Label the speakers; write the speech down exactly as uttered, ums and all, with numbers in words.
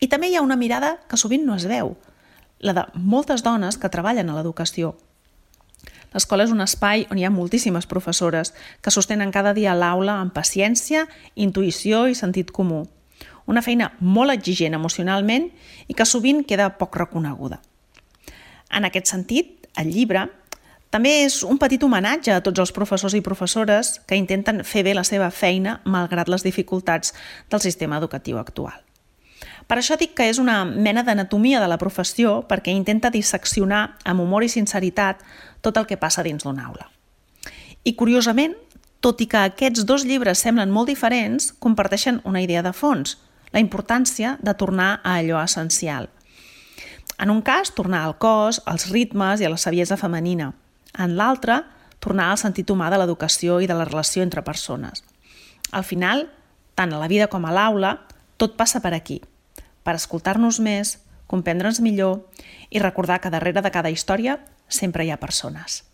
Speaker 1: I també hi ha una mirada que sovint no es veu, la de moltes dones que treballen a l'educació. L'escola és un espai on hi ha moltíssimes professores que sostenen cada dia l'aula amb paciència, intuïció i sentit comú. Una feina molt exigent emocionalment i que sovint queda poc reconeguda. En aquest sentit, el llibre també és un petit homenatge a tots els professors i professores que intenten fer bé la seva feina malgrat les dificultats del sistema educatiu actual. Per això dic que és una mena d'anatomia de la professió perquè intenta disseccionar amb humor i sinceritat tot el que passa dins d'una aula. I curiosament, tot i que aquests dos llibres semblen molt diferents, comparteixen una idea de fons, la importància de tornar a allò essencial. En un cas, tornar al cos, als ritmes i a la saviesa femenina. En l'altre, tornar al sentit humà de l'educació i de la relació entre persones. Al final, tant a la vida com a l'aula, tot passa per aquí, per escoltar-nos més, comprendre'ns millor i recordar que darrere de cada història sempre hi ha persones.